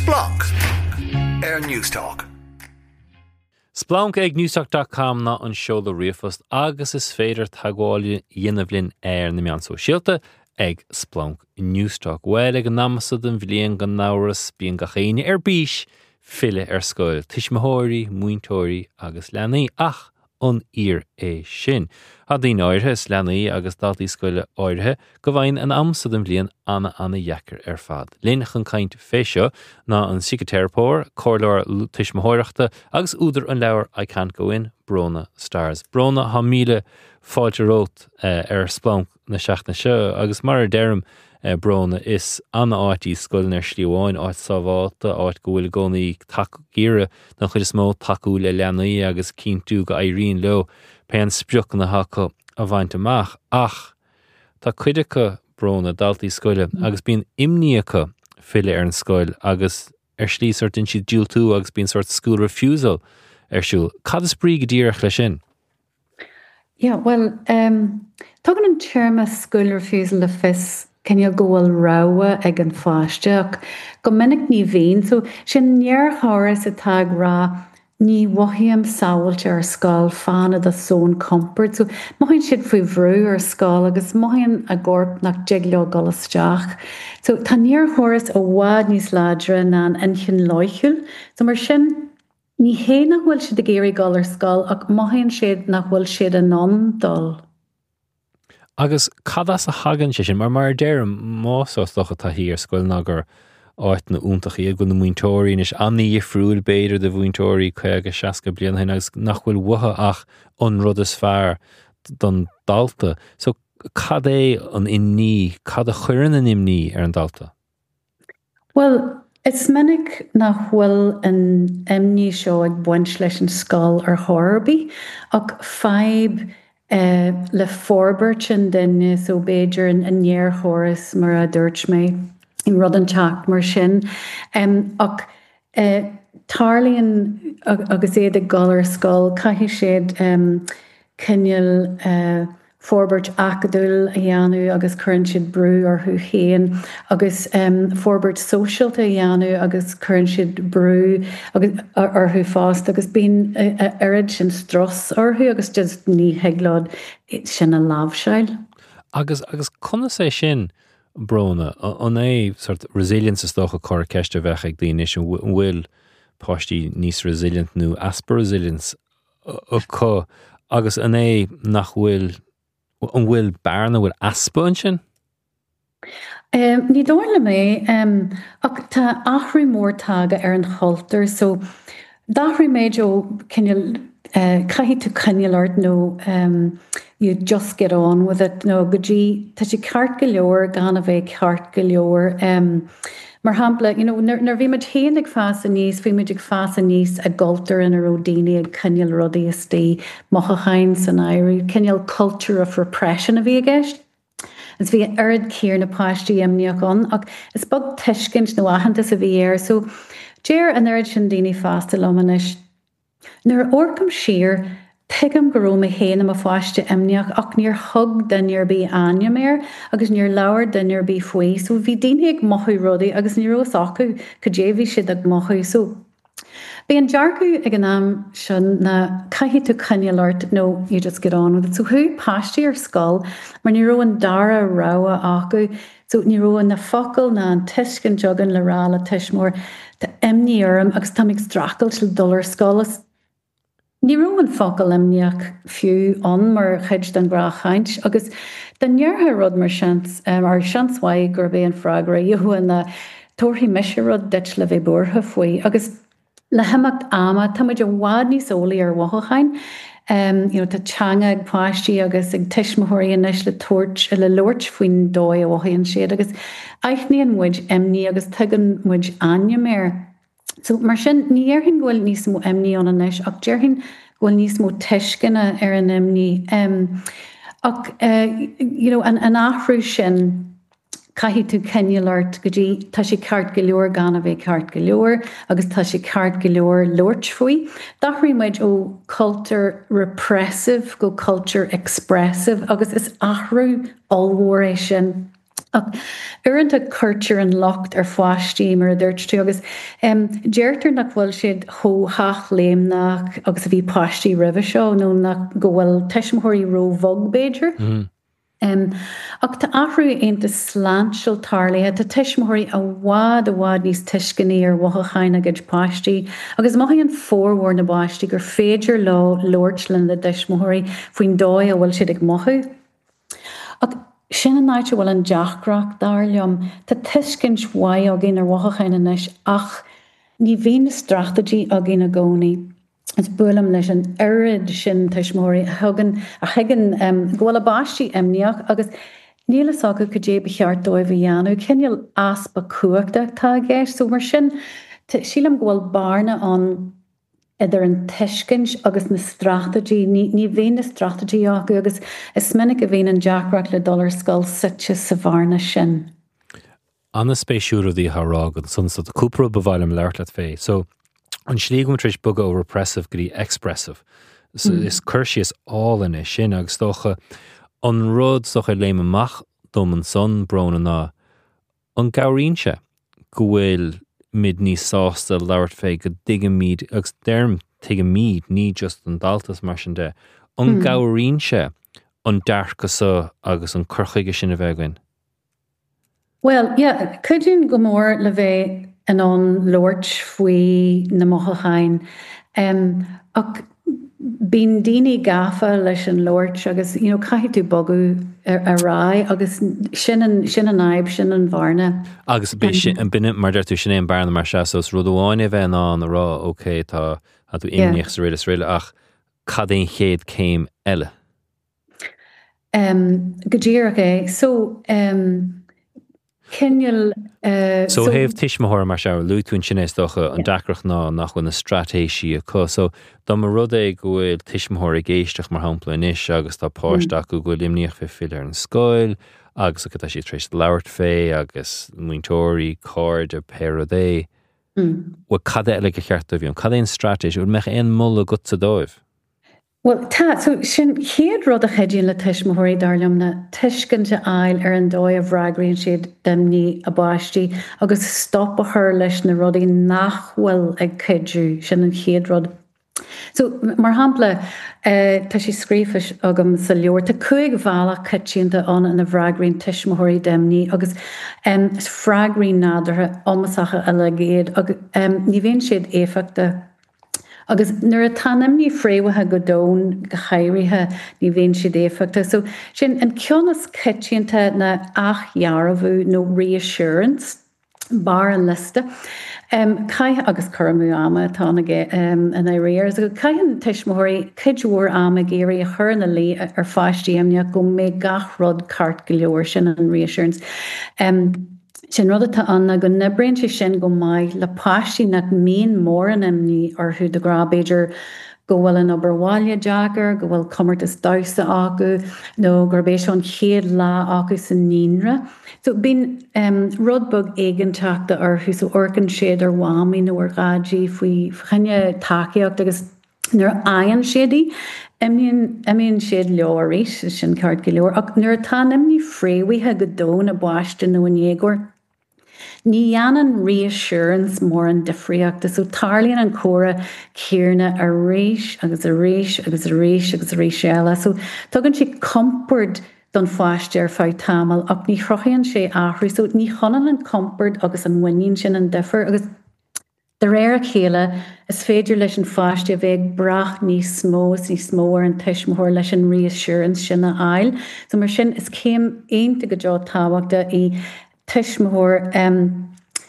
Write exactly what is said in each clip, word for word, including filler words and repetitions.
Splanc ar Newstalk. Splanc ag newstalk dot com ná an seoladh ríomhphost agus is féidir teagmháil a dhéanamh linn ar na meáin sóisialta ag Splanc Newstalk. Well, ag an am seo den bhliain, gan amhras, bíonn gach éinne ar bís filleadh ar scoil, tuismitheoirí, múinteoirí agus leanaí, ach an fhíor é sin? Tá daoine áirithe is leanaí agus daltaí scoile áirithe go bhfaigheann an am seo den bhliain ana ana dheacair ar fad. Linn chun caint fé seo ná an síciteiripeoir, comhairleoir tuismitheoireachta agus údar an leabhar I Can't Go In, Bróna Stars. Bróna, tá míle fáilte romhat eh, ar Splanc na seachtaine seo. Agus mar a deirim, eh, Bróna, is an-áit í scoil ar shlí amháin, áit sábháilte, áit go bhfuil i gcónaí ag iarraidh den chuid is mó tacú le leanaí agus cinntiú go éiríonn leo pé spriocanna acu a bhaint amach, ach tá cuid acu, Bróna, daltaí scoile, agus bíonn imní acu filleadh ar an scoil agus ar shlí sort déanann siad diúltú agus bíonn sort school refusal ar siúl. Cad is brí go díreach leis sin? Yeah, well, um, tugann an téarma school refusal le fios cineál go bhfuil rogha ag an pháiste, ach go minic ní bhíonn, so sin néarchóras atá ag rá ní mhothaím sábháilte ar scoil, fan i do zón compoird. So mothaíonn siad faoi bhrú ar scoil agus mothaíonn a gcorp nach dtig leo dul isteach. So tá néarchóras i bhfad níos láidre ná an inchinn loighciúil. So mar sin ní hé nach bhfuil siad ag iarraidh dul ar scoil, ach mothaíonn siad nach bhfuil siad in ann dul. Agus cad as a thagann sé sin? mar mar deirim, más dócha taithí ar scoil ná gur áiteanna iontacha iad, go na múinteoirí anois an-difriúil b'fhéidir de mhúinteoirí caoga, seasca bliain ó shin agus nach bhfuil uathu ach an rud is fearr don dalta. So cad é an imní, cad a chuireann an imní ar an dalta? Well, is minic nach bhfuil an imní seo ag baint leis an scoil ar chor ar bith, ach fadhb uh, le forbairt an duine, so b'fhéidir an, an néarchóras, mar a dúirt mé, rud inteacht mar sin. Um, ach uh, tarlaíonn agus iad ag dul ar scoil, caithfidh siad um, cineál uh, forbairt acadúil a dhéanamh agus cuireann siad brú orthu féin, agus um, forbairt sóisialta a dhéanamh agus cuireann siad brú agus orthu fosta, agus bíonn oiread sin strus orthu agus just ní thig leo sin a láimhseáil. Agus agus conas é sin, Bróna, an é sort resilience is dócha cor ceiste bheith ag daoine, an bhfuil páistí níos resilient nó easpa resilience acu, agus an é nach bhfuil, an bhfuil bearna, bhfuil easpa ansin? Um, ní dóigh liom é, um, ach tá athrú mór tagtha ar an chultúr, so d'athraigh muid ó cineál uh, caithfidh tú coinneáil ort nó um, you just get on with it nó go dtí tá sé ceart go leor gan a bheith ceart go leor. Um, Mar shampla, you know, nuair bhí muid féin ag fás aníos, bhí muid ag fás aníos i gcultúr ina raibh daoine ag coinneáil rudaí istigh, mothúcháin san áireamh, cineál culture of repression a bhí i gceist. Is bhí oiread céanna páistí imníoch ann, ach is beag tuiscint nó aitheantas a bhí air, so deir an oiread sin daoine fásta liom anois, "Nuair a amharcaim siar, tuigim go raibh mé féin i mo pháiste imníoch, ach níor thug duine ar bith ainm air agus níor labhair duine ar bith faoi, so bhí daoine ag mothú rudaí agus ní raibh a fhios acu cad é bhí siad ag mothú." So bhí an dearcadh ag an am sin ná caithfidh tú coinneáil ort nó you just get on with it. So chuaigh páistí ar scoil mar ní raibh an dara rogha acu. So ní raibh na focail ná an tuiscint againn le rá le tuismitheoir, "Tá imní orm agus tá ag streachailt le dul ar scoil." Ní raibh an focal imníoch fiú ann mar chuid den ghnáthchaint, agus dá ndéarfá rud mar sin, ar seans mhaith gurb é an freagra a gheofá ná "Tabharfaidh mise rud duit le bheith buartha faoi." Agus le himeacht ama tá muid i bhfad níos eolaí ar mhothúcháin. Um, you know, tá teanga ag páistí agus ag tuismitheoirí anois le tabhairt le labhairt faoin dóigh a mhothaíonn siad, agus aithníonn muid imní agus tugann muid ainm air. So mar sin ní déarfainn go bhfuil níos mó imní ann anois, ach déarfainn go bhfuil níos mó tuisceana ar an imní. Um, ach uh, you know, an, an athrú sin, caithfidh tú coinneáil ort go dtí tá sé ceart go leor gan a bheith ceart go leor agus tá sé ceart go leor labhairt faoi. D'athraigh muid ó culture repressive go culture expressive, agus is athrú ollmhór é sin. Ach uaireanta cuirtear an locht ar pháistí mar a dúirt tú agus um, deirtear nach bhfuil siad chomh hathléimneach agus a bhí páistí roimhe seo nó nach go bhfuil tuismitheoirí róbhog b'fhéidir. Mm. Um, ach tá athrú iontach sláintiúil tarlaithe tá tuismitheoirí i bhfad i bhfad níos tuisceanaí ar mhothúcháin a gcuid páistí, agus mothaíonn formhór na bpáistí gur féidir leo labhairt lena dtuismitheoirí faoin dóigh a bhfuil siad ag mothú. Ach sin an áit a bhfuil an deacracht dar liom, Tá tuiscint mhaith againn ar mhothúcháin anois ach ní bhíonn na straitéisí againn i gcónaí. Is buailim leis an oiread sin tuismitheoirí a thugann a thuigeann um, go bhfuil a bpáistí imníoch agus níl a fhios acu cad é ba cheart dóibh a dhéanamh, cineál easpa cumhachta atá i gceist, so mar sin sílim go bhfuil bearna ann idir an tuiscint agus na straitéisí ní, ní bhíonn na straitéisí acu agus is minic a bhíonn an deacracht le dul ar scoil suite sa bhearna sin. An-spéisiúil rudaí a rá ansan so tá cúpla rud ba mhaith liom labhairt leat fé. So an slí go tar éis bogadh ó repressive go dtí expressive. So, mm. Is cur síos álainn é sin agus dócha an rud socha léim amach dom ansan Bróna ná an gcabhraíonn sé go bhfuil muid níos sásta labhairt fé go dtuigimid agus deirim tuigimid ní just an dalta mar sin de. An mm. gcabhraíonn sé an dearcadh seo agus an cur chuige sin a bheith againn. Well, yeah, cuidíonn go mór le bheith in ann labhairt faoi na mothúcháin. Um, ach bíonn daoine gafa leis an labhairt agus you know, caithfidh tú bogadh ar aghaidh agus sin an, sin an fhadhb sin an bhearna. Agus an binne mar deir tú sin é an bearna mar se so rud amháin a bheith in ann a rá ok tá tú imníoch sa réile réile ach cad é an chéad céim eile. Um, go díreach é so um, cineál uh, So thaobh tuismitheoir mar se luaigh tú sin is dócha an deacracht ná nach bhfuil na straitéisí acu so dá mba rud é go bhfuil tuismitheoir ag éisteacht mar shampla anois agus tá páiste acu go bhfuil imníoch fé filleadh ar an scoil agus go tá siad tar éis labhairt fé agus múinteoirí cairde pé rud é. Mm. Well cad eile ba cheart dóibh, cad é an straitéis, bhfuil mbeadh aon mholadh agatsa dóibh. Well tá so sin chéad rud a chuidíonn le tuismitheoirí dar liom ná tuiscint a fháil ar an dóigh a bhfreagraíonn siad d'imní a bpáistí agus stop a chur leis na rudaí nach bhfuil ag cuidiú sin an chéad rud. So mar shampla uh, tá sé scríofa agam sa leabhar tá cúig bhealach coitianta ann ina bhfreagraíonn tuismitheoirí d'imní agus um, freagraí nádúrtha iomasacha uilig iad agus um, ní bhíonn siad éifeachtach. Agus nuair atá imní fréamhaithe go domhain go háirithe ní bhíonn siad éifeachtach. So sin an ceann is coitianta ná athdhearbhú nó reassurance barr an liosta. Um, Caith agus cur amú ama atá aige um, in réir, so caitheann tuismitheoirí cuid mhór ama ag iarraidh a chur ina luí ar pháistí imníoch go mbeidh gach rud ceart go leor sin an reassurance. Um, Sin rud atá ann go n-oibríonn sé sin go maith le páistí nach mbíonn mórán imní orthu de ghnáth b'fhéidir go bhfuil an obair bhaile deacair, go bhfuil comórtas damhsa acu nó gurb é seo an chéad lá acu sa naíonra. So bíonn um, rud beag éiginnteachta orthu so amharcann siad ar mhamaí nó ar dhaidí faoi choinne tacaíocht agus nuair a fhaigheann siad í, imíonn siad leo arís sin ceart go leor, ach nuair atá an imní fréamhaithe go domhain i bpáiste nó i ndéagóir. Ní dhéanann reassurance mórán difríochta, so tarlaíonn an comhrá céanna arís agus arís agus arís agus arís eile. So tugann sé compord don pháiste ar feadh tamaill ach ní chruthaíonn sé athrú, so ní hionann an compord agus an mhuinín sin an difear agus de réir a chéile is féidir leis an pháiste a bheith ag brath níos mó is níos mó ar an tuismitheoir leis an reassurance sin a fháil. So mar sin is céim iontach go deo tábhachtach í tuismitheoir um,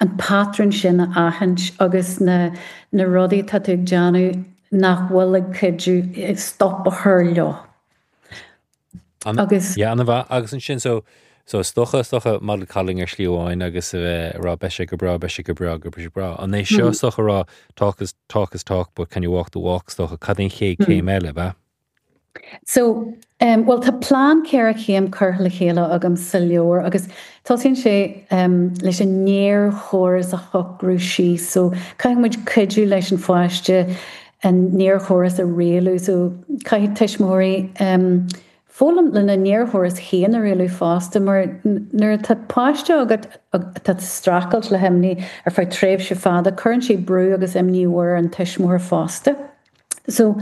an patrún sin a aithint agus na, na rudaí tá tú ag déanamh nach bhfuil ag cuidiú stop a chur leo. Agus Ja an-mhaith agus ansin so so is dócha is dócha model coddling ar shlí amháin agus a bheith rá beidh sé go breá beidh sé go breá go breá breá. An é seo is dócha rá talk is talk is talk but can you walk the walk is dócha cad é an chéad céim eile be? So um, well tá plean ceithre chéim curtha le chéile agam sa leabhar agus tosaíonn sé um, leis an néarchóras a shocrú síos, so caithfidh muid cuidiú leis an pháiste an néarchóras a rialú, so caithfidh tuismitheoirí um, Foghlaim lena néarchóras féin a rialú fosta mar nuair atá páiste agat atá ag streachailt le himní ar feadh tréimhse fada, cuireann sé brú agus imní mhór ar an tuismitheoir fosta. So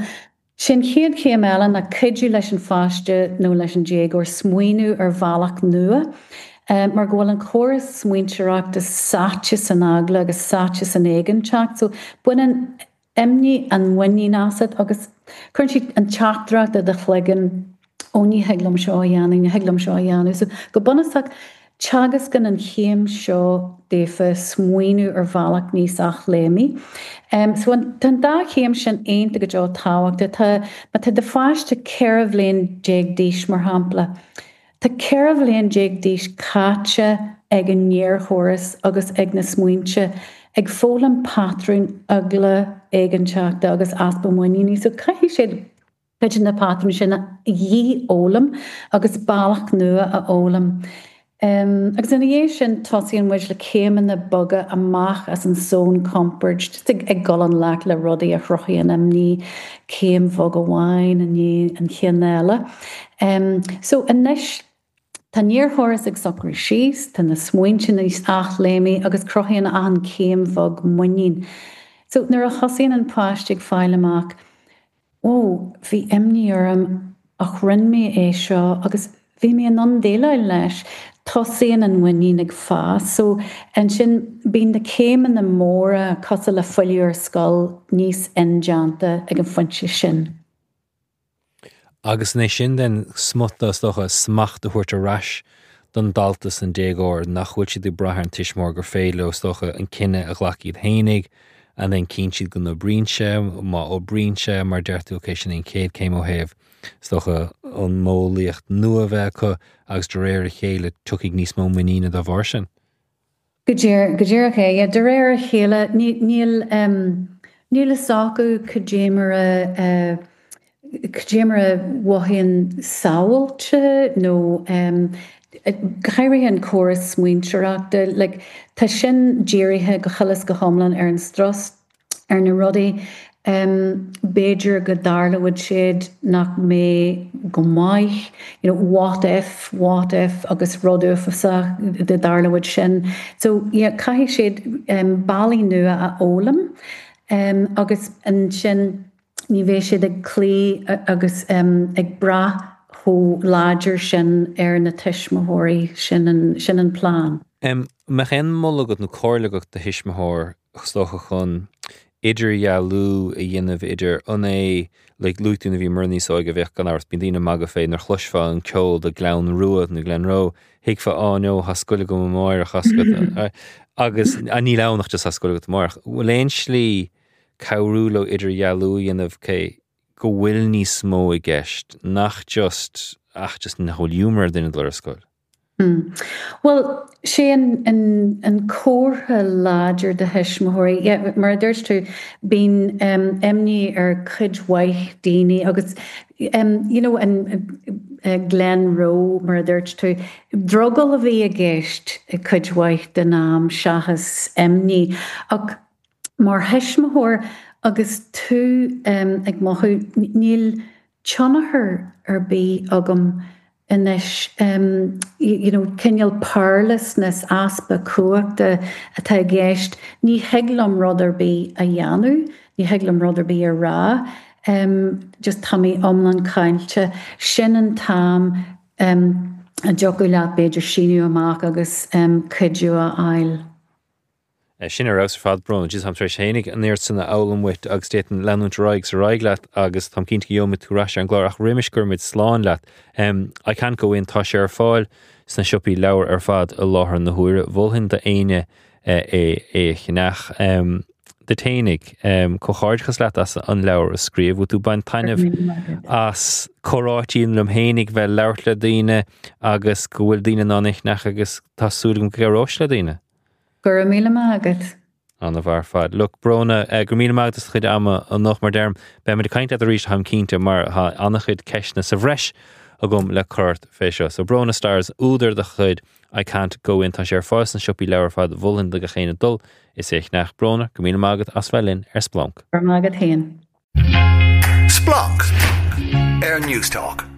sin chéad chéim eile ná cuidiú leis an pháiste nó leis an déagóir smaoineamh ar bhealach nua. Mar go bhfuil an córas smaointeoireachta sáite san eagla agus sáite san éiginnteacht, so baineann imní an mhuinín asat agus cuireann siad an teachtaireacht i do chloigeann ó ní thig liom seo a dhéanamh, ní thig liom seo a dhéanamh. So go bunúsach, teagascann an chéim seo daofa smaoineamh ar bhealach níos athléimní. Um, so an, tá an dá chéim sin iontach go deo tábhachtach. Tá, má tá do pháiste ceithre bhliain déag d'aois mar shampla, tá ceithre bhliain déag d'aois caite ag an néarchóras agus ag na smaointe ag foghlaim patrún eagla, éiginnteachta agus easpa muiníne. So caithfidh siad cuid de na patrúin sin a dhífhoghlaim agus bealach nua a fhoghlaim. Agus ina dhiaidh sin tosaíonn muid le céimeanna boga amach as an zón compoird, just ag, ag dul i ngleic le rudaí a chruthaíonn imní, céim bhog amháin i ndiaidh an chinn eile. So anois tá an néarchóras ag socrú síos, tá na smaointe níos athléimní agus cruthaíonn achan céim bhog muinín. So nuair a thosaíonn an páiste ag fáil amach, Ó, bhí imní orm ach rinne mé é seo agus bhí mé in ann déileáil leis. Tosaíonn an mhuinín ag fás. So ansin bíonn na céimeanna móra cosúil le filleadh ar scoil níos indéanta ag an phointe sin. Agus an é sin den smut is dócha smacht a thabhairt ar ais don dalta is an déagóir nach bhfuil siad ag brath ar an tuismitheoir gur féidir leo is dócha an cinneadh a ghlacadh iad fhéinig and then cíonn siad go n-oibríonn sé, má oibríonn sé mar deir tú ok sin an chéad chéim ó thaobh is dócha an modheolaíocht nua a bheith acu agus de réir a chéile tiocfaidh níos mó muiníne dá bharr sin. Go díreach é, yeah, de réir a chéile níl níl fhios acu cad é mar a cad é mar a mhothaíonn sábháilte nó go háirithe an córas smaointeoireachta, like, tá sin dírithe go huile is go hiomlán ar an strus, ar na rudaí um, b'fhéidir go dtarlóidh siad nach mbeidh go maith, you know, what if, what if agus rud uafásach dá dtarlódh sin. So yeah, caithfidh siad um, bealaí nua a fhoghlaim um, agus ansin ní bheidh siad ag cloí agus um, ag brath chomh láidir sin ar na tuismitheoirí sin an, sin an plean. Um, Mbeadh aon mholadh agat nó comhairle agat do thuismitheoir is dócha chun idirdhealú a dhéanamh idir an é like, luaigh tú nuair a bhíomar níos óige bheadh gan amhras bíonn daoine ag magadh fé nuair a chloisfeá an ceol de Gleann Rua nó Glenroe, thuigfeá á no tá scoil agam amárach agus níl ann ach just tá scoil agat amárach. Bhfuil aon slí cabhrú leo idirdhealú a dhéanamh cé go bhfuil níos mó i gceist nach just ach just nach bhfuil giúmar ar duine dul ar scoil. Hmm. Well, sé an, an, an comhartha láidir do thuismitheoirí, yeah, mar a dúirt tú, bíonn um, imní ar cuid mhaith daoine agus um, you know, an uh, Glenroe mar a dúirt tú, drogall a bhí i gceist cuid mhaith den am seachas imní. Ach mar thuismitheoir agus tú um, ag mothú níl tionchar ar bith agam anois um, you, you know, cineál powerlessness easpa cumhachta atá i gceist, ní thig liom rud ar bith a dhéanamh, ní thig liom rud ar bith a rá, um, just tá mé iomlán caillte. Sin an t-am um, a dtiocfadh leat b'fhéidir síneadh amach agus um, cuidiú a fháil. Eh, sin ar fheabhas ar fad Bróna, Jesus táim tar éis fhéinig an oiread san a fhoghlaim uait agus d'fhéadfainn leanúint ar aghaidh ar aghaidh leat agus táim cinnte go gheobhaimid tú ar ais ar an gclár ach roimis go gcuirimid slán leat. Um, I can't go in tá sé ar fáil sna siopaí leabhar ar fad i láthair na huaire. Mholfainn d'éinne eh, é é a cheannach. Um, duit fhéinig um, comhghairdeachas leat as an leabhar a scríobh, tú bain taitneamh as comhráití liom fhéinig bheith labhairt le daoine agus go bhfuil daoine in ann é a cheannach agus tá súil agam go gcabhróidh le daoine. Go raibh míle maith agat. An-mhaith ar fad. Look Bróna eh, go míle maith as do chuid ama anocht mar deirim beimid ag caint leat arís táim cinnte mar tá an-chuid ceisteanna sa bhreis agam le cur ort fé seo. So Bróna Stars údar de chuid I can't go in tá sé ar fáil sna siopaí leabhar ar fad mholfainn do gach éinne dul is é a cheannach Bróna go míle maith agat as bheith linn ar Splanc. Go raibh maith agat féin. Splanc ar Newstalk.